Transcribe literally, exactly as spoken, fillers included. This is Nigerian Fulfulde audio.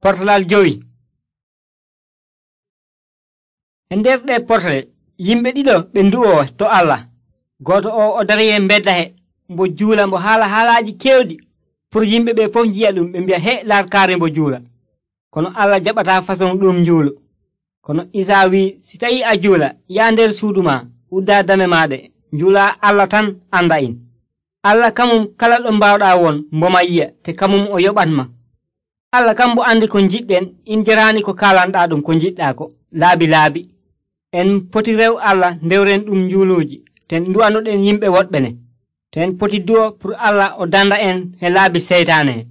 Portalal jowi. E nder ɗe portale yimɓe ɗiɗo ɓe ndu'o to Allah. Gooto o o dari e mbedda he mbo juula mbo haala haalaaji kewɗi pour yimɓe ɓe fof njiya ɗum ɓe mbi'a he larkaare mbo juula. Kono Allah jaɓataa façon ɗum njuulu. Kono Isaa wi'i si tawi a juula yaa nder suudu ma uddaa dame maaɗe njuulaa Allah tan anda'in. Allah kamum kala ɗo mbawɗaa won mboma yi'a te kamum o yoɓatma. Allah kam mbo andi ko njiɗɗen in jaraani ko kaalanɗaa ɗum ko njiɗɗaa ko laabi laabi. En poti rew Allah ndewren ɗum njuuluuji ten ndu'anoɗen yimɓe woɗɓe ne. Ten poti du'o pour Allah o danda en he laabi seytaane.